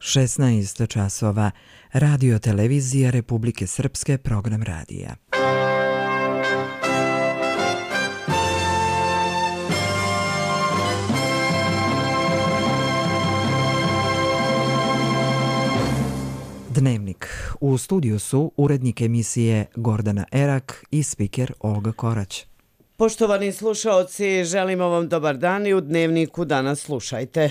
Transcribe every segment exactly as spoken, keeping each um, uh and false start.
šesnaest časova. Radio televizija Republike Srpske, program radija. Dnevnik. U studiju su urednik emisije Gordana Erak i spiker Olga Korać. Poštovani slušaoci, želimo vam dobar dan i u Dnevniku danas slušajte.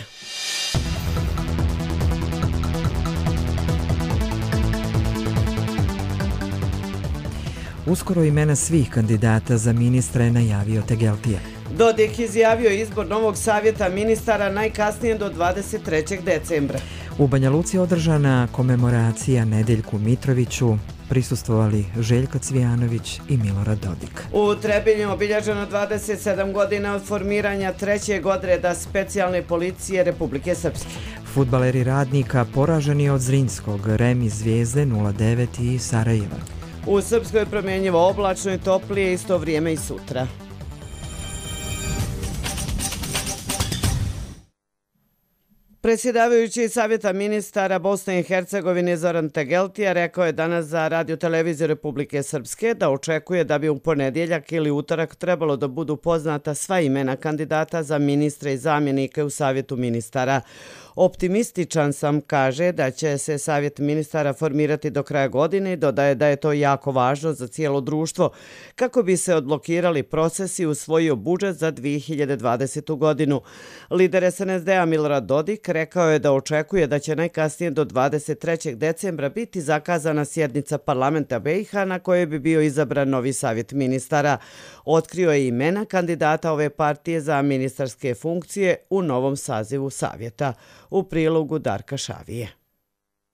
Uskoro imena svih kandidata za ministra je najavio Tegeltija. Dodik izjavio izbor novog savjeta ministara najkasnije do dvadeset trećeg decembra. U Banja Luci održana komemoracija Nedeljku Mitroviću, prisustvovali Željko Cvijanović i Milorad Dodik. U Trebinju obilježeno dvadeset sedam godina od formiranja trećeg odreda specijalne policije Republike Srpske. Fudbaleri Radnika poraženi od Zrinjskog, Remi Zvijezde nula devet i Sarajeva. U Srpskoj promjenjivo oblačno i toplije isto vrijeme i sutra. Predsjedavajući Savjeta ministara Bosne i Hercegovine Zoran Tegeltija rekao je danas za Radio televiziju Republike Srpske da očekuje da bi u ponedjeljak ili utorak trebalo da budu poznata sva imena kandidata za ministre i zamjenike u Savjetu ministara. Optimističan sam, kaže, da će se Savjet ministara formirati do kraja godine i dodaje da je to jako važno za cijelo društvo kako bi se odblokirali procesi i usvojio budžet za dvije hiljade dvadesetu. godinu. Lider es en es de a Milorad Dodik rekao je da očekuje da će najkasnije do dvadeset trećeg decembra biti zakazana sjednica parlamenta be i ha na kojoj bi bio izabran novi Savjet ministara. Otkrio je imena kandidata ove partije za ministarske funkcije u novom sazivu Savjeta. U prilogu Darka Šavije.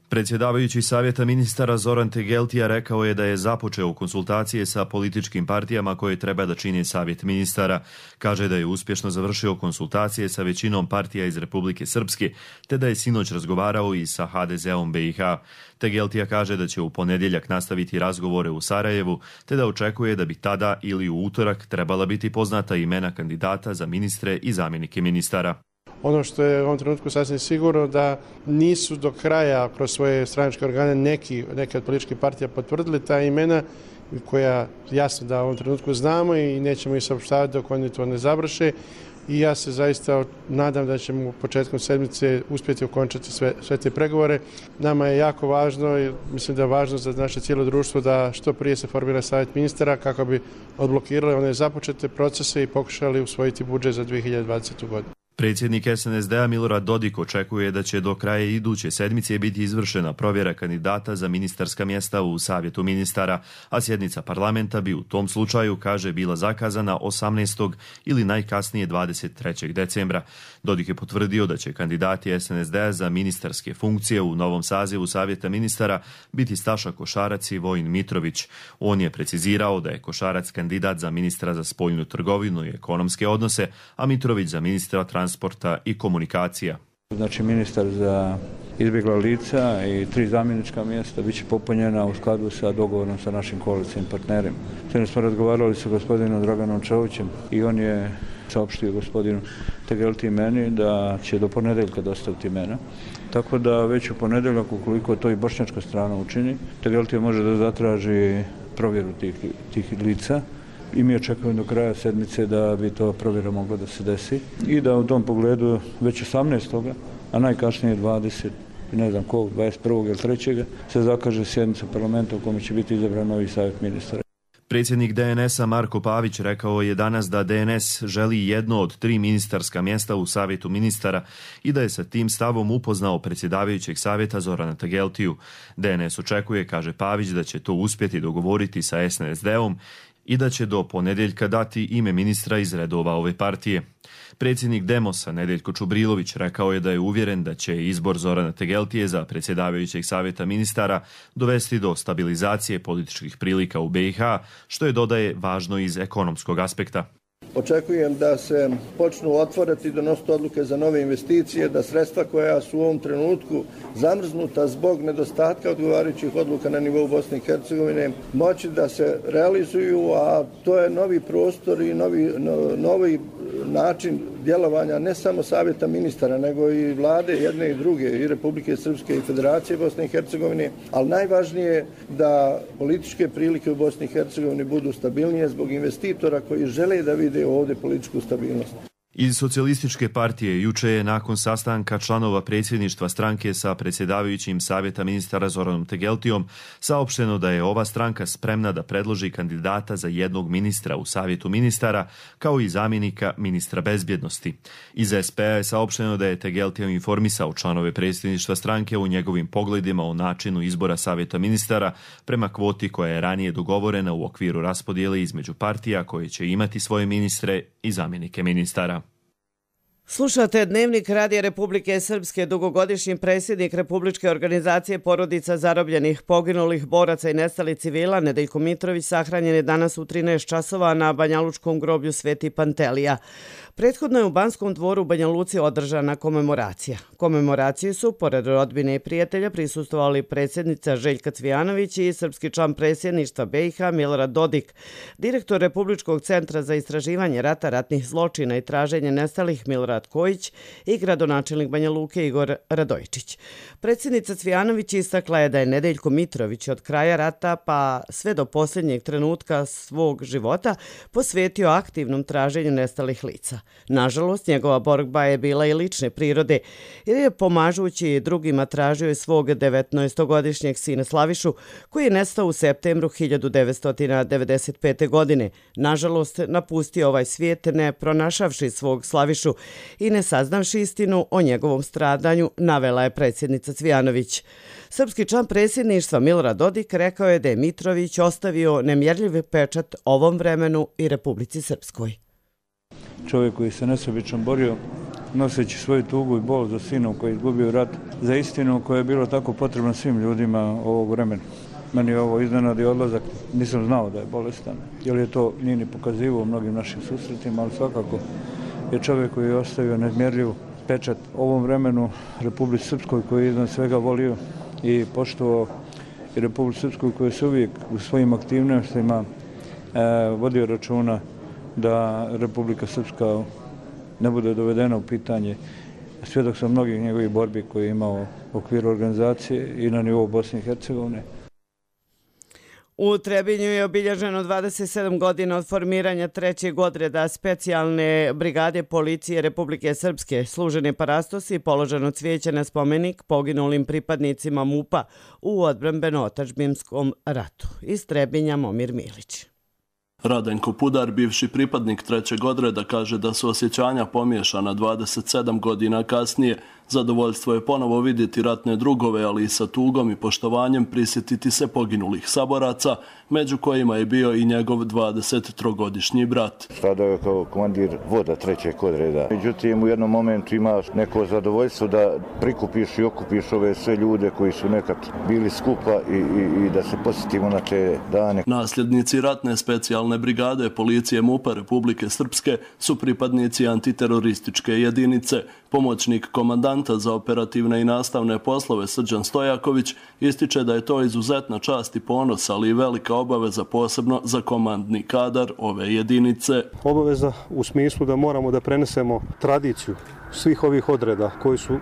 Predsjedavajući Savjeta ministara Zoran Tegeltija rekao je da je započeo konsultacije sa političkim partijama koje treba da čine Savjet ministara. Kaže da je uspješno završio konsultacije sa većinom partija iz Republike Srpske, te da je sinoć razgovarao i sa ha de zeom be i ha. Tegeltija kaže da će u ponedjeljak nastaviti razgovore u Sarajevu, te da očekuje da bi tada ili u utorak trebala biti poznata imena kandidata za ministre i zamjenike ministara. Ono što je u ovom trenutku sasvim sigurno da nisu do kraja kroz svoje stranačke organe neki, neke od političkih partija potvrdili ta imena koja jasno da u ovom trenutku znamo i nećemo ih saopštavati dok oni to ne završe. I ja se zaista nadam da ćemo početkom sedmice uspjeti ukončati sve, sve te pregovore. Nama je jako važno i mislim da je važno za naše cijelo društvo da što prije se formira Savjet ministara kako bi odblokirali one započete procese i pokušali usvojiti budžet za dvije hiljade dvadesetu. godinu. Predsjednik es en es de a Milorad Dodik očekuje da će do kraja iduće sedmice biti izvršena provjera kandidata za ministarska mjesta u Savjetu ministara, a sjednica parlamenta bi u tom slučaju, kaže, bila zakazana osamnaestog ili najkasnije dvadeset trećeg decembra. Dodik je potvrdio da će kandidati es en es de a za ministarske funkcije u novom sazivu Savjeta ministara biti Staša Košarac i Vojin Mitrović. On je precizirao da je Košarac kandidat za ministra za spoljnu trgovinu i ekonomske odnose, a Mitrović za ministra transporta i komunikacija. Znači ministar za izbjegla lica i tri zamjenička mjesta bit će popunjena u skladu sa dogovorom sa našim koalicijnim partnerima. Sada smo razgovarali sa gospodinom Draganom Čovićem i on je saopštio gospodinu Tegeltiji meni da će do ponedjeljka dostaviti imena. Tako da već u ponedjeljak, ukoliko to i bošnjačka strana učini, Tegeltija može da zatraži provjeru tih, tih lica. I mi očekujemo do kraja sedmice da bi to provjera mogla da se desi i da u tom pogledu već osamnaestog a najkasnije dvadeset, ne znam kog, dvadeset prvog ili trećeg se zakaže sjednica parlamenta u kome će biti izabran novi Savjet ministara. Predsjednik de en es a Marko Pavić rekao je danas da de en es želi jedno od tri ministarska mjesta u Savjetu ministara i da je sa tim stavom upoznao predsjedavajućeg savjeta Zorana Tegeltiju. de en es očekuje, kaže Pavić, da će to uspjeti dogovoriti sa es en es de om i da će do ponedjeljka dati ime ministra iz redova ove partije. Predsjednik Demosa Nedeljko Čubrilović rekao je da je uvjeren da će izbor Zorana Tegeltije za predsjedavajućeg savjeta ministara dovesti do stabilizacije političkih prilika u be i ha, što je, dodaje, važno iz ekonomskog aspekta. Očekujem da se počnu otvoriti i donositi odluke za nove investicije, da sredstva koja su u ovom trenutku zamrznuta zbog nedostatka odgovarajućih odluka na nivou Bosne i Hercegovine moći da se realizuju, a to je novi prostor i novi, no, novi, način djelovanja ne samo Savjeta ministara, nego i vlade jedne i druge, i Republike Srpske i Federacije Bosne i Hercegovine, ali najvažnije je da političke prilike u Bosni i Hercegovini budu stabilnije zbog investitora koji žele da vide ovdje političku stabilnost. Iz Socijalističke partije juče je nakon sastanka članova predsjedništva stranke sa predsjedavajućim Savjeta ministara Zoranom Tegeltijom saopšteno da je ova stranka spremna da predloži kandidata za jednog ministra u Savjetu ministara kao i zamjenika ministra bezbjednosti. Iz es pe a je saopšteno da je Tegeltijom informisao članove predsjedništva stranke u njegovim pogledima o načinu izbora Savjeta ministara prema kvoti koja je ranije dogovorena u okviru raspodjele između partija koje će imati svoje ministre i zamjenike ministara. Slušate Dnevnik Radija Republike Srpske. Dugogodišnji predsjednik Republičke organizacije porodica zarobljenih, poginulih boraca i nestalih civila Nedeljko Mitrović sahranjen je danas u trinaest časova na Banjalučkom groblju Sveti Pantelija. Prethodno je u Banskom dvoru u Banja Luci održana komemoracija. Komemoraciji su, pored rodbine i prijatelja, prisustvovali predsjednica Željka Cvijanović i srpski član predsjedništva be i ha Milorad Dodik, direktor Republičkog centra za istraživanje rata, ratnih zločina i traženje nestalih Milorad Kojić i gradonačelnik Banja Luke Igor Radojičić. Predsjednica Cvijanović istakla je da je Nedeljko Mitrović od kraja rata pa sve do posljednjeg trenutka svog života posvetio aktivnom traženju nestalih lica. Nažalost, njegova borba je bila i lične prirode, jer je pomažući drugima tražio i svog devetnaestogodišnjeg sina Slavišu, koji je nestao u septembru hiljadu devetsto devedeset pete. godine. Nažalost, napustio ovaj svijet ne pronašavši svog Slavišu i ne saznavši istinu o njegovom stradanju, navela je predsjednica Cvijanović. Srpski član predsjedništva Milorad Dodik rekao je da je Mitrović ostavio nemjerljiv pečat ovom vremenu i Republici Srpskoj. Čovjek koji se nesebično borio, noseći svoju tugu i bol za sinom koji je izgubio rat, za istinu koja je bilo tako potrebna svim ljudima ovog vremena. Meni je ovo iznenadi odlazak, nisam znao da je bolestan, jer je to nije ni pokazivao u mnogim našim susretima, ali svakako je čovjek koji je ostavio nezmjerljiv pečat ovom vremenu Republici Srpskoj koji je iznad svega volio i poštovao, i Republici Srpskoj koji se uvijek u svojim aktivnostima e, vodio računa da Republika Srpska ne bude dovedena u pitanje. Svjedok sam mnogih njegovih borbi koje je imao u okviru organizacije i na nivou Bosne i Hercegovine. U Trebinju je obilježeno dvadeset sedam godina od formiranja trećeg odreda specijalne brigade policije Republike Srpske. Služen je parastos i položeno cvijeće na spomenik poginulim pripadnicima MUP-a u odbrambeno-otadžbinskom ratu. Iz Trebinja Momir Milić. Radenko Pudar, bivši pripadnik trećeg odreda, kaže da su osjećanja pomiješana dvadeset sedam godina kasnije. Zadovoljstvo je ponovo vidjeti ratne drugove, ali i sa tugom i poštovanjem prisjetiti se poginulih saboraca, među kojima je bio i njegov dvadesettrogodišnji brat. Stradao je kao komandir voda trećeg odreda. Međutim, u jednom momentu imaš neko zadovoljstvo da prikupiš i okupiš ove sve ljude koji su nekad bili skupa i, i, i da se posjetimo na te dane. Nasljednici ratne specijalne brigade policije MUP-a Republike Srpske su pripadnici antiterorističke jedinice. Pomoćnik komandanta za operativne i nastavne poslove Srđan Stojaković ističe da je to izuzetna čast i ponos, ali i velika obaveza posebno za komandni kadar ove jedinice. Obaveza u smislu da moramo da prenesemo tradiciju svih ovih odreda koji su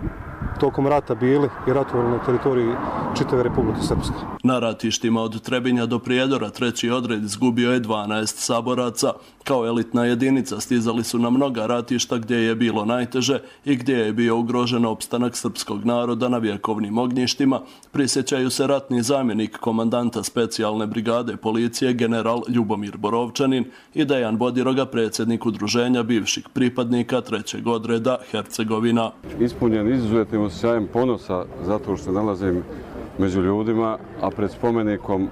tokom rata bili i ratovali na teritoriji čitave Republike Srpske. Na ratištima od Trebinja do Prijedora treći odred izgubio je dvanaest saboraca. Kao elitna jedinica stizali su na mnoga ratišta gdje je bilo najteže i gdje je bio ugrožen opstanak srpskog naroda na vjekovnim ognjištima. Prisjećaju se ratni zamjenik komandanta specijalne brigade policije general Ljubomir Borovčanin i Dejan Bodiroga, predsjednik udruženja bivših pripadnika trećeg odreda Hercegovina. Ispunjen izuzetnim osjećajem ponosa zato što nalazim među ljudima, a pred spomenikom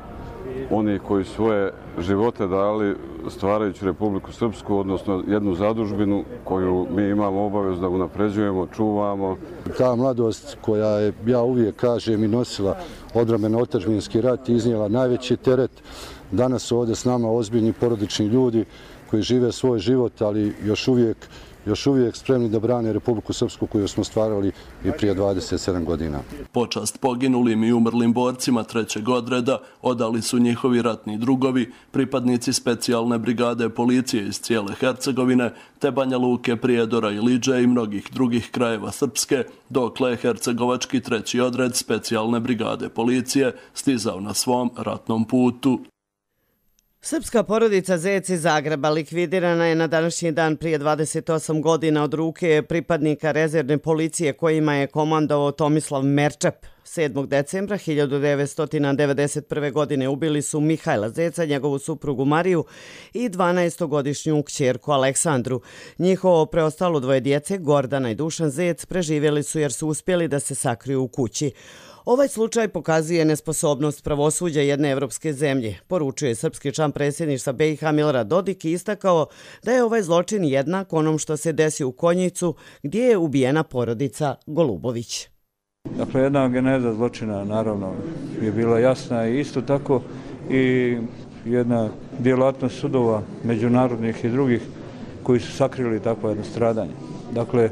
oni koji svoje živote dali stvarajući Republiku Srpsku, odnosno jednu zadužbinu koju mi imamo obavezu da unapređujemo, čuvamo. Ta mladost koja je, ja uvijek kažem, i nosila odbrambeno-otadžbinski rat, iznijela najveći teret. Danas su ovdje s nama ozbiljni porodični ljudi koji žive svoj život, ali još uvijek još uvijek spremni da brane Republiku Srpsku koju smo stvarali i prije dvadeset sedam godina. Počast poginulim i umrlim borcima trećeg odreda odali su njihovi ratni drugovi, pripadnici specijalne brigade policije iz cijele Hercegovine, te Banja Luke, Prijedora i Liđe i mnogih drugih krajeva Srpske, dokle je hercegovački treći odred specijalne brigade policije stizao na svom ratnom putu. Srpska porodica Zec iz Zagreba likvidirana je na današnji dan prije dvadeset osam godina od ruke pripadnika rezervne policije kojima je komandovao Tomislav Merčep. sedmog decembra hiljadu devetsto devedeset prve. godine ubili su Mihajla Zeca, njegovu suprugu Mariju i dvanaestogodišnju kćerku Aleksandru. Njihovo preostalo dvoje djece, Gordana i Dušan Zec, preživjeli su jer su uspjeli da se sakriju u kući. Ovaj slučaj pokazuje nesposobnost pravosuđa jedne evropske zemlje, poručuje srpski član predsjedništva B i H Milorad Dodik i istakao da je ovaj zločin jednak onom što se desi u Konjicu gdje je ubijena porodica Golubović. Dakle, jedna geneza zločina naravno je bila jasna i isto tako i jedna djelatnost sudova međunarodnih i drugih koji su sakrili takvo jedno stradanje. Dakle,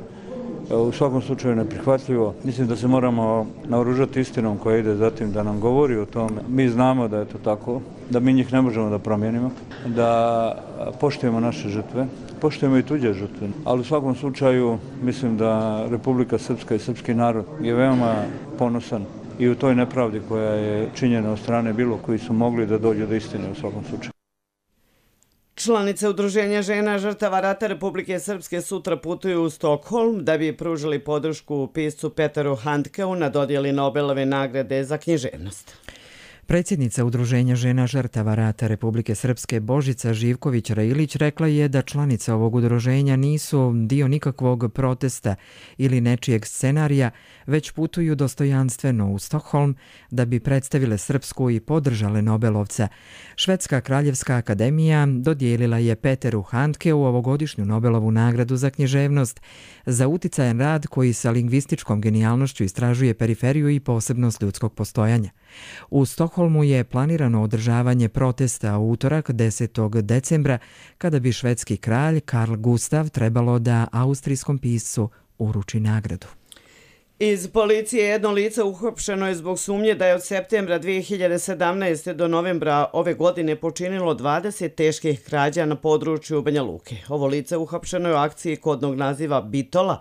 u svakom slučaju neprihvatljivo. Mislim da se moramo naoružati istinom koja ide zatim da nam govori o tome. Mi znamo da je to tako, da mi njih ne možemo da promijenimo, da poštujemo naše žrtve, poštujemo i tuđe žrtve. Ali u svakom slučaju mislim da Republika Srpska i srpski narod je veoma ponosan i u toj nepravdi koja je činjena od strane bilo koji su mogli da dođu do istine u svakom slučaju. Članice Udruženja žena žrtava rata Republike Srpske sutra putuju u Stokholm da bi pružili podršku piscu Peteru Handkeu na dodjeli Nobelove nagrade za književnost. Predsjednica Udruženja žena žrtava rata Republike Srpske Božica Živković-Railić rekla je da članice ovog udruženja nisu dio nikakvog protesta ili nečijeg scenarija, već putuju dostojanstveno u Stokholm da bi predstavile Srpsku i podržale Nobelovca. Švedska kraljevska akademija dodijelila je Peteru Handkeu ovogodišnju Nobelovu nagradu za književnost za uticajan rad koji sa lingvističkom genijalnošću istražuje periferiju i posebnost ljudskog postojanja. U Stokholmu je planirano održavanje protesta u utorak desetog decembra kada bi švedski kralj Karl Gustav trebalo da austrijskom piscu uruči nagradu. Iz policije jedno lice uhapšeno je zbog sumnje da je od septembra dvije hiljade sedamnaeste. do novembra ove godine počinilo dvadeset teških krađa na području Banja Luke. Ovo lice uhapšeno je u akciji kodnog naziva Bitola,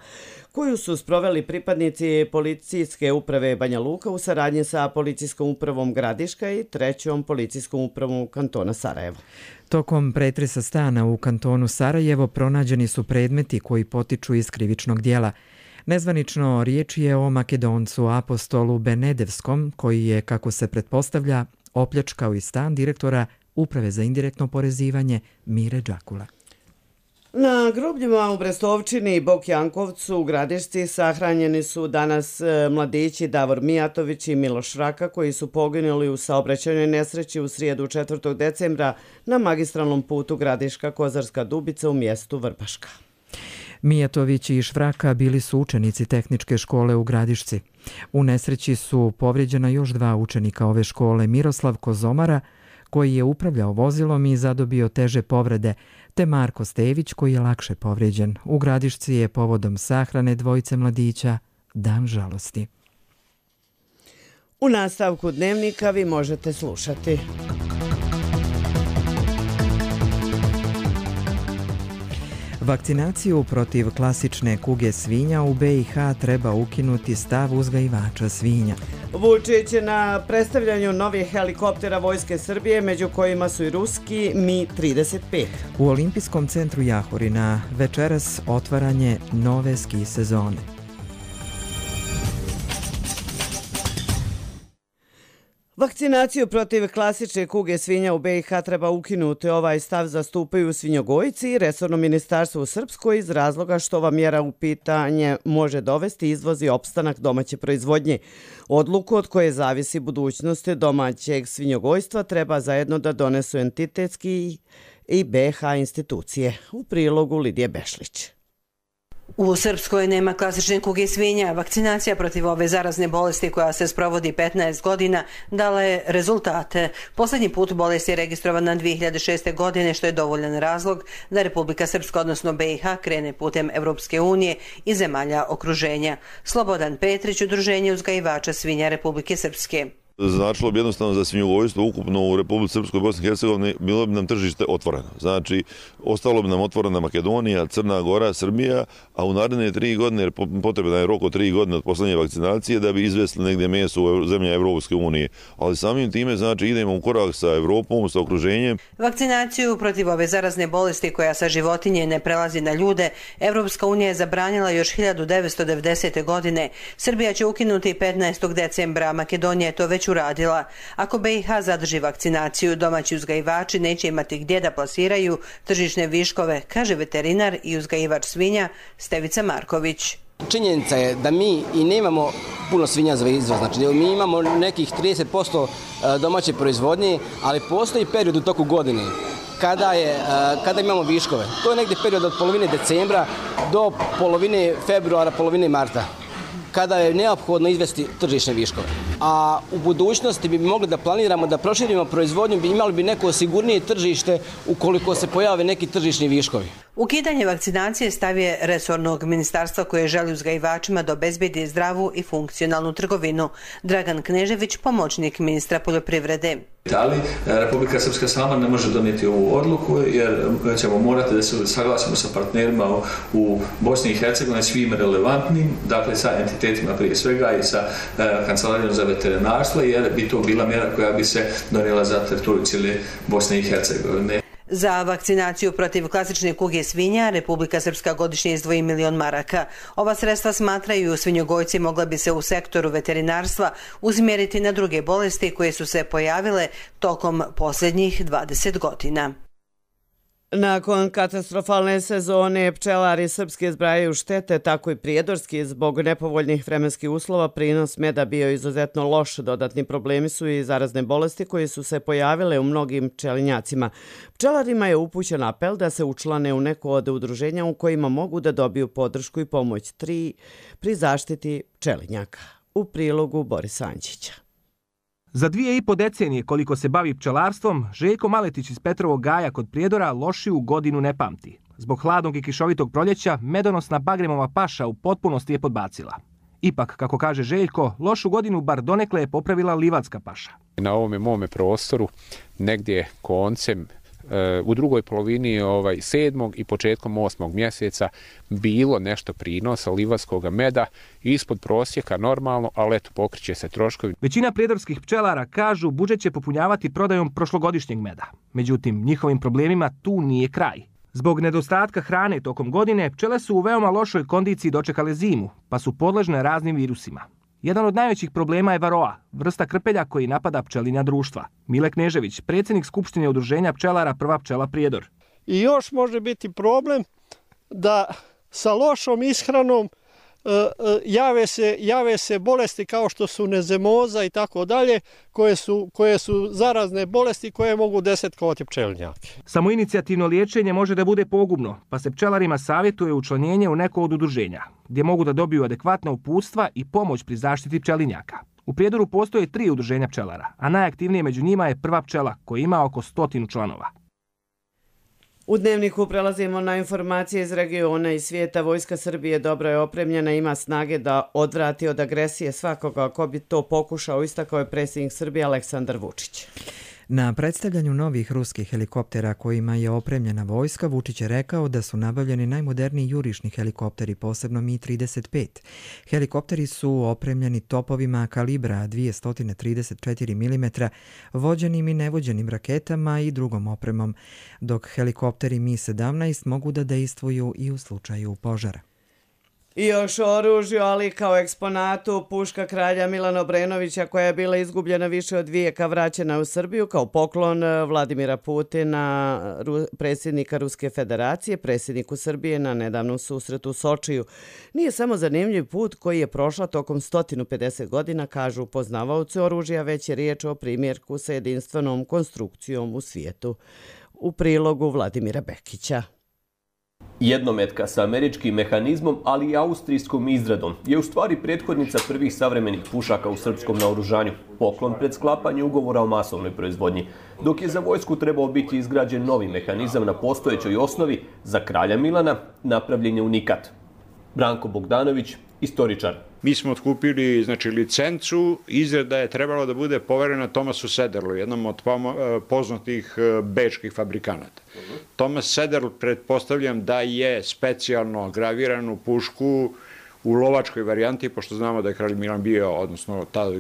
koju su sproveli pripadnici policijske uprave Banja Luka u saradnji sa policijskom upravom Gradiška i trećom policijskom upravom kantona Sarajevo. Tokom pretresa stana u kantonu Sarajevo pronađeni su predmeti koji potiču iz krivičnog dijela. Nezvanično riječ je o Makedoncu apostolu Benedevskom, koji je, kako se pretpostavlja, opljačkao i stan direktora Uprave za indirektno porezivanje Mire Đakula. Na grobljima u Brestovčini i Bok Jankovcu u Gradišci sahranjeni su danas mladići Davor Mijatović i Miloš Raka koji su poginuli u saobraćajnoj nesreći u srijedu četvrtog decembra na magistralnom putu Gradiška-Kozarska Dubica u mjestu Vrbaška. Mijatović i Švraka bili su učenici tehničke škole u Gradišci. U nesreći su povrijeđena još dva učenika ove škole, Miroslav Kozomara, koji je upravljao vozilom i zadobio teže povrede, te Marko Stević, koji je lakše povrijeđen. U Gradišci je povodom sahrane dvojice mladića dan žalosti. U nastavku dnevnika vi možete slušati. Vakcinaciju protiv klasične kuge svinja u B i H treba ukinuti, stav uzgajivača svinja. Vučić na predstavljanju novih helikoptera Vojske Srbije, među kojima su i ruski Mi trideset pet. U Olimpijskom centru Jahorina večeras otvaranje nove ski sezone. Vakcinaciju protiv klasične kuge svinja u B i H treba ukinuti. Ovaj stav zastupaju svinjogojci i resorno ministarstvo u Srpskoj iz razloga što ova mjera u pitanje može dovesti izvoz i opstanak domaće proizvodnje. Odluku od koje zavisi budućnost domaćeg svinjogojstva treba zajedno da donesu entitetski i B i H institucije. U prilogu Lidije Bešlić. U Srpskoj nema klasične kuge svinja. Vakcinacija protiv ove zarazne bolesti koja se sprovodi petnaest godina dala je rezultate. Posljednji put bolest je registrovana dvije hiljade šeste. godine, što je dovoljan razlog da Republika Srpska, odnosno B i H, krene putem Evropske unije i zemalja okruženja. Slobodan Petrić, Udruženje uzgajivača svinja Republike Srpske. Značilo bi jednostavno za svinjogojstvo ukupno u Republici Srpskoj i Bosni i Hercegovini bilo bi nam tržište otvoreno. Znači, ostalo bi nam otvorena Makedonija, Crna Gora, Srbija, a u naredne tri godine, jer potrebno je rok od tri godine od poslednje vakcinacije da bi izvesili negdje meso u zemlje Evropske unije. Ali samim time, znači, idemo u korak sa Evropom, sa okruženjem. Vakcinaciju protiv ove zarazne bolesti koja sa životinje ne prelazi na ljude, Evropska unija je zabranila još hiljadu devetsto devedesete. godine. Srbija će ukinuti petnaestog decembra, a Makedonija je to već uradila. Ako B i H zadrži vakcinaciju, domaći uzgajivači neće imati gdje da plasiraju tržišne viškove, kaže veterinar i uzgajivač svinja Stevica Marković. Činjenica je da mi i nemamo puno svinja za izvoz, znači mi imamo nekih trideset posto domaće proizvodnje, ali postoji period u toku godine kada, je, kada imamo viškove. To je negdje period od polovine decembra do polovine februara, polovine marta, kada je neophodno izvesti tržišne viškove. A u budućnosti bi mogli da planiramo da proširimo proizvodnju, bi imali bi neko sigurnije tržište ukoliko se pojave neki tržišni viškovi. Ukidanje vakcinacije stav je resornog ministarstva koje želi uzgajivačima da obezbedi zdravu i funkcionalnu trgovinu. Dragan Knežević, pomoćnik ministra poljoprivrede. Ali Republika Srpska sama ne može donijeti ovu odluku jer ćemo morati da se saglasimo sa partnerima u Bosni i Hercegovini svim relevantnim, dakle sa entitetima prije svega i sa Kancelarijom za veterinarstvo, jer bi to bila mjera koja bi se donijela za teritoriju cijele Bosne i Hercegovine. Za vakcinaciju protiv klasične kuge svinja Republika Srpska godišnje izdvoji milion maraka. Ova sredstva, smatraju svinjogojci, mogla bi se u sektoru veterinarstva usmjeriti na druge bolesti koje su se pojavile tokom posljednjih dvadeset godina. Nakon katastrofalne sezone pčelari srpski zbrajaju štete, tako i prijedorski. Zbog nepovoljnih vremenskih uslova prinos meda bio izuzetno loš. Dodatni problemi su i zarazne bolesti koje su se pojavile u mnogim pčelinjacima. Pčelarima je upućen apel da se učlane u neko od udruženja u kojima mogu da dobiju podršku i pomoć tri pri zaštiti pčelinjaka. U prilogu Borisa Anđića. Za dvije i po decenije koliko se bavi pčelarstvom, Željko Maletić iz Petrovog Gaja kod Prijedora lošiju godinu ne pamti. Zbog hladnog i kišovitog proljeća, medonosna bagremova paša u potpunosti je podbacila. Ipak, kako kaže Željko, lošu godinu bar donekle je popravila livadska paša. Na ovome mome prostoru, negdje koncem, u drugoj polovini ovaj, sedmog i početkom osmog mjeseca bilo nešto prinosa livadskog meda ispod prosjeka normalno, ali eto pokriće se troškovi. Većina prijedorskih pčelara kažu budžet će popunjavati prodajom prošlogodišnjeg meda. Međutim, njihovim problemima tu nije kraj. Zbog nedostatka hrane tokom godine, pčele su u veoma lošoj kondiciji dočekale zimu, pa su podležne raznim virusima. Jedan od najvećih problema je varoa, vrsta krpelja koji napada pčelinja društva. Mile Knežević, predsjednik Skupštine udruženja pčelara Prva pčela Prijedor. I još može biti problem da sa lošom ishranom jave se, jave se bolesti kao što su nezemoza i tako dalje, koje su, koje su zarazne bolesti koje mogu desetkovati pčelinjake. Samoinicijativno liječenje može da bude pogubno, pa se pčelarima savjetuje učlanjenje u neko od udruženja, gdje mogu da dobiju adekvatna uputstva i pomoć pri zaštiti pčelinjaka. U Prijedoru postoje tri udruženja pčelara, a najaktivnije među njima je Prva pčela, koja ima oko stotinu članova. U Dnevniku prelazimo na informacije iz regiona i svijeta. Vojska Srbije dobro je opremljena, ima snage da odvrati od agresije svakoga ko bi to pokušao, istakao je predsjednik Srbije Aleksandar Vučić. Na predstavljanju novih ruskih helikoptera kojima je opremljena vojska, Vučić je rekao da su nabavljeni najmoderniji jurišni helikopteri, posebno Mi trideset pet. Helikopteri su opremljeni topovima kalibra dvjesto trideset četiri milimetra, vođenim i nevođenim raketama i drugom opremom, dok helikopteri Mi sedamnaest mogu da dejstvuju i u slučaju požara. I još o oružju, ali kao eksponatu, puška kralja Milana Obrenovića koja je bila izgubljena više od vijeka vraćena u Srbiju kao poklon Vladimira Putina, predsjednika Ruske federacije, predsjedniku Srbije na nedavnom susretu u Sočiju. Nije samo zanimljiv put koji je prošla tokom sto pedeset godina, kažu poznavaoci oružja, već je riječ o primjerku sa jedinstvenom konstrukcijom u svijetu. U prilogu Vladimira Bekića. Jednometka sa američkim mehanizmom, ali i austrijskom izradom, je u stvari prethodnica prvih savremenih pušaka u srpskom naoružanju, poklon pred sklapanje ugovora o masovnoj proizvodnji, dok je za vojsku trebao biti izgrađen novi mehanizam na postojećoj osnovi za kralja Milana, napravljen je unikat. Branko Bogdanović, istoričar. Mi smo otkupili znači, licencu, izrada je trebalo da bude poverena Thomasu Sederlu, jednom od poznatih bečkih fabrikanata. Uh-huh. Thomas Sederl, pretpostavljam da je specijalno graviranu pušku u lovačkoj varijanti, pošto znamo da je kralj Milan bio, odnosno ta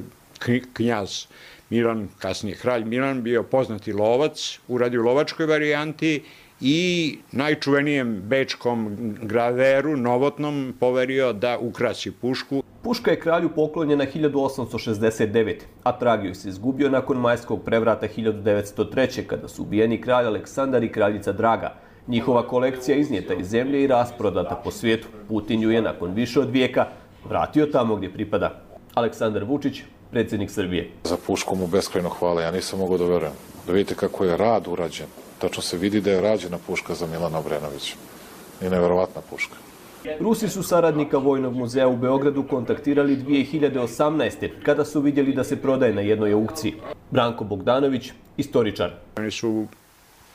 knjaz Milan, kasnije kralj Milan, bio poznati lovac, uradio u lovačkoj varijanti i najčuvenijem bečkom graveru, novotnom, poverio da ukrasi pušku. Puška je kralju poklonjena hiljadu osamsto šezdeset devete. a trag joj se izgubio nakon majskog prevrata hiljadu devetsto treće. kada su ubijeni kralj Aleksandar i kraljica Draga. Njihova kolekcija iznijeta iz zemlje i rasprodata po svijetu. Putin ju je nakon više od vijeka vratio tamo gdje pripada. Aleksandar Vučić, predsjednik Srbije. Za pušku mu beskrajno hvala, ja nisam mogao da verujem. Da vidite kako je rad urađen. Tačno se vidi da je rađena puška za Milana Obrenovića. I neverovatna puška. Rusi su saradnika Vojnog muzeja u Beogradu kontaktirali dvije hiljade osamnaeste. kada su vidjeli da se prodaje na jednoj aukciji. Branko Bogdanović, istoričar. Oni su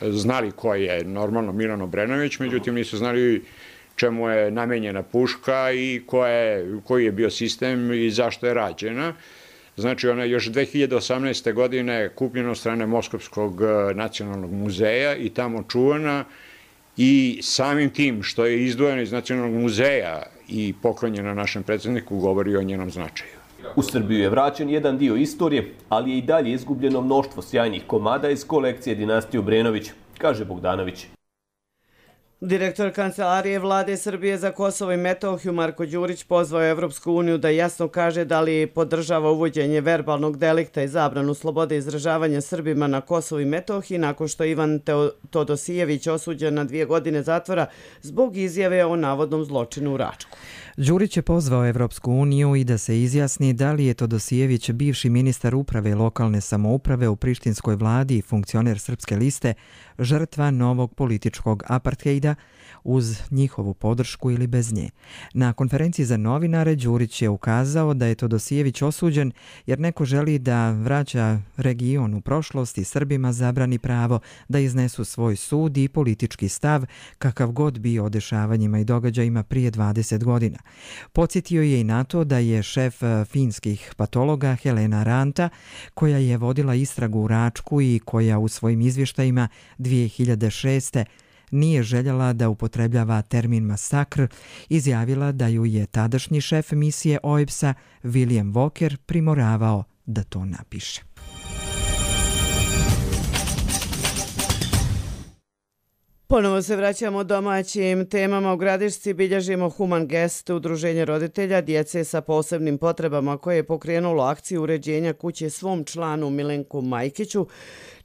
znali ko je normalno Milan Obrenović, međutim nisu znali čemu je namenjena puška i ko je, koji je bio sistem i zašto je rađena. Znači, ona je još dve hiljade osamnaeste. godine kupljena od strane Moskovskog nacionalnog muzeja i tamo čuvana i samim tim što je izdvojena iz nacionalnog muzeja i poklonjena našem predsjedniku govori o njenom značaju. U Srbiju je vraćen jedan dio istorije, ali je i dalje izgubljeno mnoštvo sjajnih komada iz kolekcije dinastije Obrenović, kaže Bogdanović. Direktor Kancelarije Vlade Srbije za Kosovo i Metohiju Marko Đurić pozvao je Evropsku uniju da jasno kaže da li podržava uvođenje verbalnog delikta i zabranu slobode izražavanja Srbima na Kosovu i Metohiji nakon što je Ivan Todosijević osuđen na dvije godine zatvora zbog izjave o navodnom zločinu u Račku. Đurić je pozvao Evropsku uniju i da se izjasni da li je Todosijević, bivši ministar uprave lokalne samouprave u prištinskoj vladi i funkcioner Srpske liste, žrtva novog političkog aparthejda uz njihovu podršku ili bez nje. Na konferenciji za novinare Đurić je ukazao da je Todosijević osuđen jer neko želi da vraća region u prošlost i Srbima zabrani pravo da iznesu svoj sud i politički stav kakav god bio o dešavanjima i događajima prije dvadeset godina. Podsjetio je i na to da je šef finskih patologa Helena Ranta, koja je vodila istragu u Račku i koja u svojim izvještajima dvije hiljade šeste. nije željela da upotrebljava termin masakr, izjavila da ju je tadašnji šef misije O E B S-a William Walker primoravao da to napiše. Ponovo se vraćamo domaćim temama. U Gradišci bilježimo Human Gest, udruženje roditelja djece sa posebnim potrebama koje je pokrenulo akciju uređenja kuće svom članu Milenku Majkiću,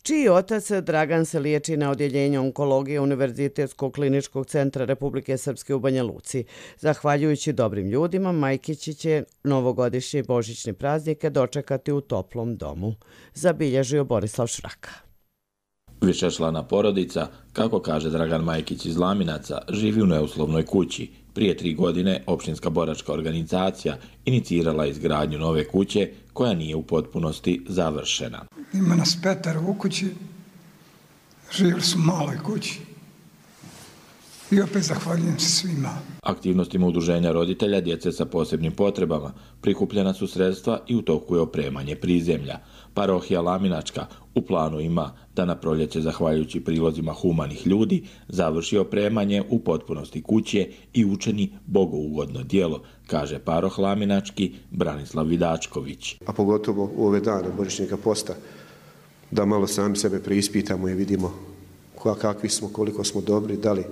čiji otac Dragan se liječi na odjeljenju onkologije Univerzitetskog kliničkog centra Republike Srpske u Banja Luci. Zahvaljujući dobrim ljudima, Majkići će novogodišnje i božićne praznike dočekati u toplom domu, zabilježio Borislav Šraka. Višečlana porodica, kako kaže Dragan Majkić iz Laminaca, živi u neuslovnoj kući. Prije tri godine opštinska boračka organizacija inicirala izgradnju nove kuće koja nije u potpunosti završena. Ima nas petero u kući, živjeli su u maloj kući i opet zahvaljujem se svima. Aktivnostima udruženja roditelja djece sa posebnim potrebama prikupljena su sredstva i u toku je opremanje prizemlja. Parohija Laminačka u planu ima da na proljeće, zahvaljujući prilozima humanih ljudi, završi opremanje u potpunosti kuće i učini bogougodno djelo, kaže paroh Laminački Branislav Vidačković. A pogotovo u ove dane božićnika posta, da malo sami sebe preispitamo i vidimo kakvi smo, koliko smo dobri, da li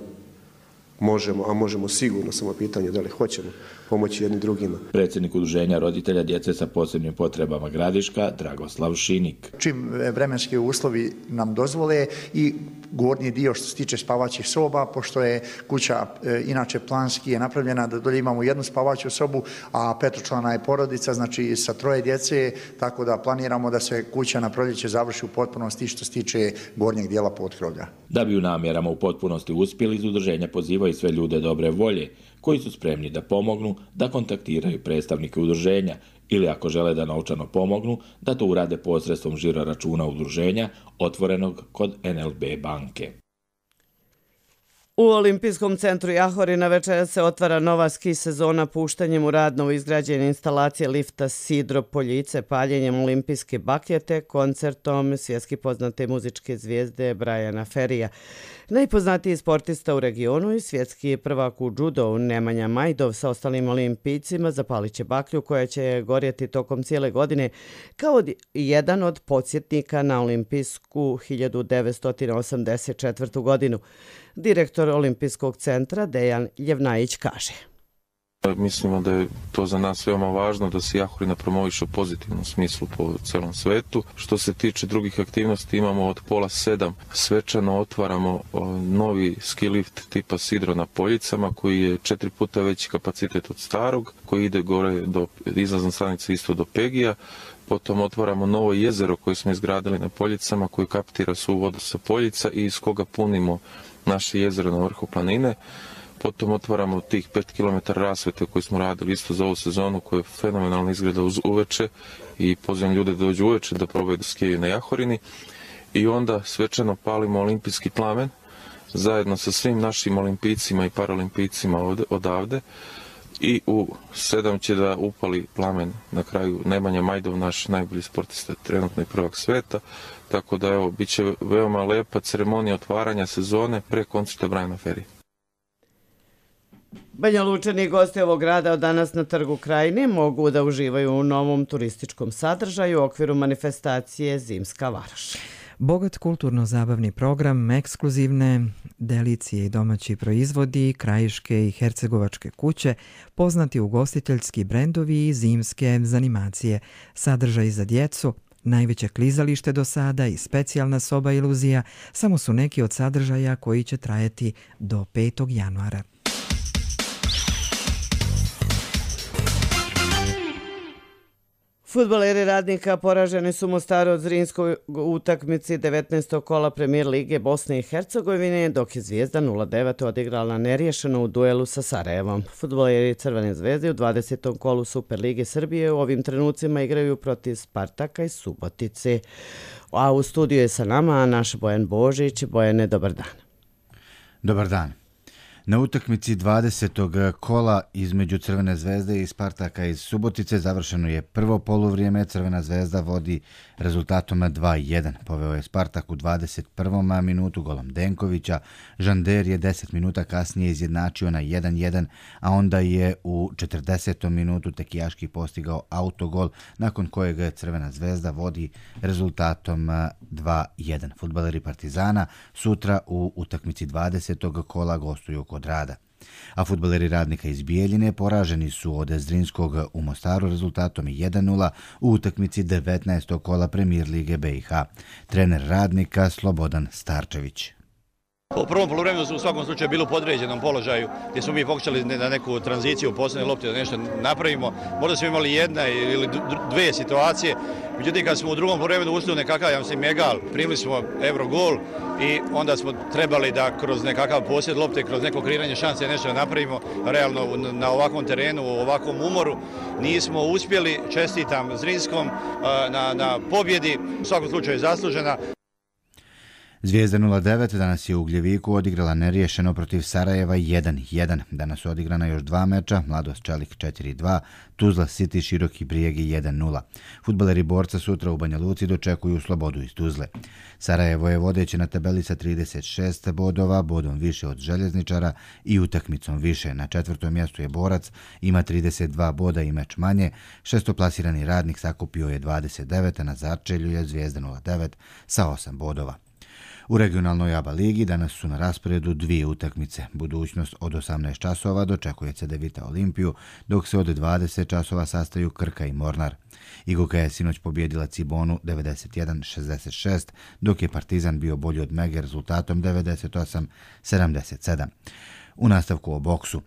možemo, a možemo sigurno, samo pitanje da li hoćemo pomoći jednim drugima. Predsjednik udruženja roditelja djece sa posebnim potrebama Gradiška, Dragoslav Šinik. Čim vremenski uslovi nam dozvole i gornji dio što se tiče spavaćih soba, pošto je kuća e, inače planski je napravljena da dolje imamo jednu spavaću sobu, a petočlana je porodica, znači sa troje djece, tako da planiramo da se kuća na proljeće završi u potpunosti što se tiče gornjeg dijela potkrovlja. Da bi u namjerama u potpunosti uspjeli, iz udruženja pozivaju Pozivaju sve ljude dobre volje koji su spremni da pomognu, da kontaktiraju predstavnike udruženja ili ako žele da novčano pomognu, da to urade posredstvom žiro računa udruženja otvorenog kod en el be banke. U Olimpijskom centru Jahorina večeras se otvara nova ski sezona puštanjem u rad novoizgrađene instalacije lifta Sidro Poljice, paljenjem olimpijske bakljete, koncertom svjetski poznate muzičke zvijezde Brajana Ferija. Najpoznatiji sportista u regionu i svjetski prvak u judovu Nemanja Majdov sa ostalim olimpijcima zapalit će baklju koja će gorjeti tokom cijele godine kao jedan od podsjetnika na olimpijsku hiljadu devetsto osamdeset četvrtu. godinu. Direktor Olimpijskog centra Dejan Ljevnajić kaže. Mislimo da je to za nas veoma važno da se Jahorina promoviše u pozitivnom smislu po celom svetu. Što se tiče drugih aktivnosti, imamo od pola sedam svečano otvaramo novi ski lift tipa Sidro na Poljicama koji je četiri puta veći kapacitet od starog, koji ide gore do izlazne stanice isto do Pegija. Potom otvaramo novo jezero koje smo izgradili na Poljicama koji kaptira svu vodu sa Poljica i iz koga punimo naše jezero na vrhu planine. Potom otvaramo tih pet kilometara rasvete koji smo radili isto za ovu sezonu koja je fenomenalno izgleda uz uveče i pozivam ljude da dođu uveče da probaju da skijaju na Jahorini. I onda svečano palimo olimpijski plamen zajedno sa svim našim olimpijcima i paralimpijcima ovde, odavde. I u sedam će da upali plamen na kraju Nemanja Majdov, naš najbolji sportista, trenutno i prvak sveta. Tako da evo, bit će veoma lepa ceremonija otvaranja sezone pre koncerta Brajana Ferija. Banja Lučani i gosti ovog grada od danas na Trgu Krajine mogu da uživaju u novom turističkom sadržaju u okviru manifestacije Zimska varoš. Bogat kulturno-zabavni program, ekskluzivne delicije i domaći proizvodi, krajiške i hercegovačke kuće, poznati ugostiteljski brendovi i zimske zanimacije, sadržaj za djecu, najveće klizalište do sada i specijalna soba iluzija samo su neki od sadržaja koji će trajati do petog januara. Fudbaleri Radnika poraženi su Mostaru od Zrinskoj utakmici devetnaestog kola Premijer Lige Bosne i Hercegovine, dok je Zvijezda nula devet odigrala neriješeno u duelu sa Sarajevom. Fudbaleri Crvene zvezde u dvadesetom kolu Superlige Srbije u ovim trenucima igraju protiv Spartaka i Subotice. A u studiju je sa nama naš Bojan Božić. Bojane, dobar dan. Dobar dan. Na utakmici dvadesetog kola između Crvene zvezde i Spartaka iz Subotice završeno je prvo poluvrijeme. Crvena zvezda vodi rezultatom dva jedan. Poveo je Spartak u dvadeset prvom minutu golom Denkovića. Žander je deset minuta kasnije izjednačio na jedan jedan, a onda je u četrdesetom minutu Tekijaški postigao autogol, nakon kojeg Crvena zvezda vodi rezultatom dva jedan. Fudbaleri Partizana sutra u utakmici dvadesetog kola gostuju kod Rada. A fudbaleri Radnika iz Bijeljine poraženi su od Zrinskog u Mostaru rezultatom jedan nula u utakmici devetnaestog kola Premijer Lige be i ha. Trener Radnika Slobodan Starčević. U prvom poluvremenu su u svakom slučaju bili u podređenom položaju gdje smo mi pokušali na neku tranziciju u posljednje lopte da nešto napravimo. Možda smo imali jedna ili dve situacije. Međutim, kad smo u drugom poluvremenu ušli u nekakav, ja mislim, egal, primili smo Eurogol i onda smo trebali da kroz nekakav posjed lopte, kroz neko kreiranje šanse nešto napravimo. Realno na ovakvom terenu, u ovakvom umoru nismo uspjeli. Čestitam Zrinskom na, na pobjedi, u svakom slučaju zaslužena. Zvijezda nula devet danas je u Ugljeviku odigrala neriješeno protiv Sarajeva jedan jedan. Danas su odigrana još dva meča, Mladost Čelik četiri dva, Tuzla City Široki Brijegi jedan nula. Fudbaleri Borca sutra u Banja Luci dočekuju Slobodu iz Tuzle. Sarajevo je vodeće na tabeli sa trideset šest bodova, bodom više od Željezničara i utakmicom više. Na četvrtom mjestu je Borac, ima trideset dva boda i meč manje. Šestoplasirani Radnik sakupio je dvadeset devet, a na začelju je Zvijezda nula devet sa osam bodova. U regionalnoj A B A ligi danas su na rasporedu dvije utakmice. Budućnost od osamnaest časova dočekuje Cedevita Olimpiju, dok se od dvadeset časova sastaju Krka i Mornar. Igoka je sinoć pobjedila Cibonu devedeset jedan šezdeset šest, dok je Partizan bio bolji od Mege rezultatom devedeset osam sedamdeset sedam. U nastavku o boksu.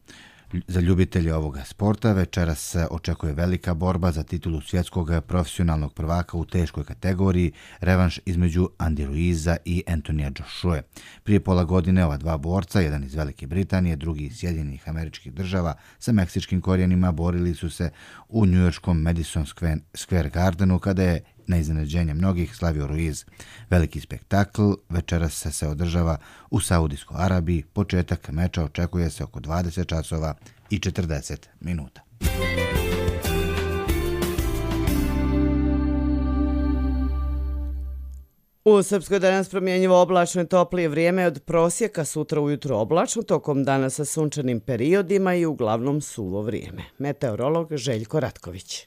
Za ljubitelje ovoga sporta večeras se očekuje velika borba za titulu svjetskog profesionalnog prvaka u teškoj kategoriji, revanš između Andy Ruiza i Antonija Joshua. Prije pola godine ova dva borca, jedan iz Velike Britanije, drugi iz Sjedinjenih Američkih Država sa meksičkim korijenima, borili su se u njujorškom Madison Square Gardenu kada je na iznenađenje mnogih slavio Ruiz. Veliki spektakl večeras se održava u Saudijskoj Arabiji. Početak meča očekuje se oko dvadeset časova i četrdeset minuta. U Srpskoj danas promjenjivo oblačno i toplije vrijeme od prosjeka, sutra ujutro oblačno, tokom dana sa sunčanim periodima i uglavnom suvo vrijeme. Meteorolog Željko Ratković.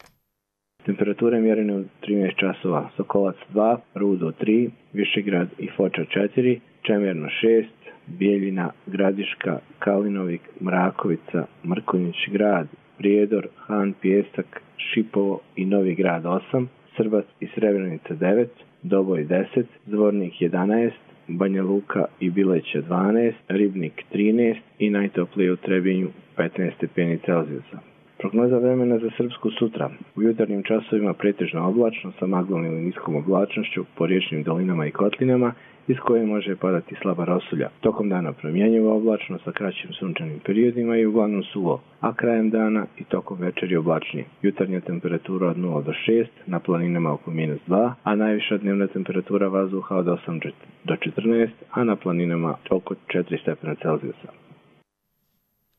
Temperature mjerene u trinaest časova, Sokolac dva, Rudo tri, Višegrad i Foča četiri, Čemerno šest, Bijeljina, Gradiška, Kalinovik, Mrakovica, Mrkonjić grad, Prijedor, Han, Pijesak, Šipovo i Novi grad osam, Srbac i Srebrenica devet, Doboj deset, Zvornik jedanaest, Banja Luka i Bileća dvanaest, Ribnik trinaest i najtoplije u Trebinju petnaest stepeni Celzijusa. Prognoza vremena za Srpsku sutra. U jutarnjim časovima pretežno oblačno sa maglom ili niskom oblačnošću po riječnim dolinama i kotlinama iz koje može padati slaba rosulja. Tokom dana promjenjivo oblačno sa kraćim sunčanim periodima i uglavnom suvo, a krajem dana i tokom večeri oblačnije. Jutarnja temperatura od nula do šest, na planinama oko minus dva, a najviša dnevna temperatura vazduha od osam do četrnaest, a na planinama oko četiri stepena Celzijusa.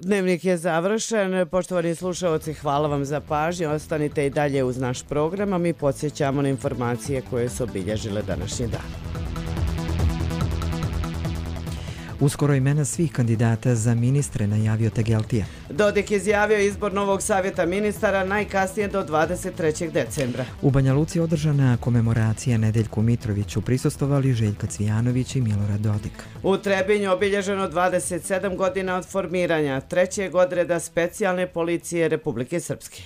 Dnevnik je završen. Poštovani slušalci, hvala vam za pažnju. Ostanite i dalje uz naš program, a mi podsjećamo na informacije koje su obilježile današnji dan. Uskoro imena svih kandidata za ministre najavio Tegeltija. Dodik izjavio izbor novog savjeta ministara najkasnije do dvadeset trećeg decembra. U Banja Luci održana komemoracija Nedeljku Mitroviću, prisustvovali Željka Cvijanović i Milorad Dodik. U Trebinju obilježeno dvadeset sedam godina od formiranja trećeg odreda specijalne policije Republike Srpske.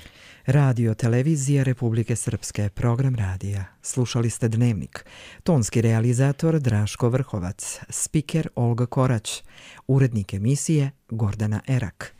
Radio Televizija Republike Srpske, program radija. Slušali ste Dnevnik. Tonski realizator Draško Vrhovac, spiker Olga Korać, urednik emisije Gordana Erak.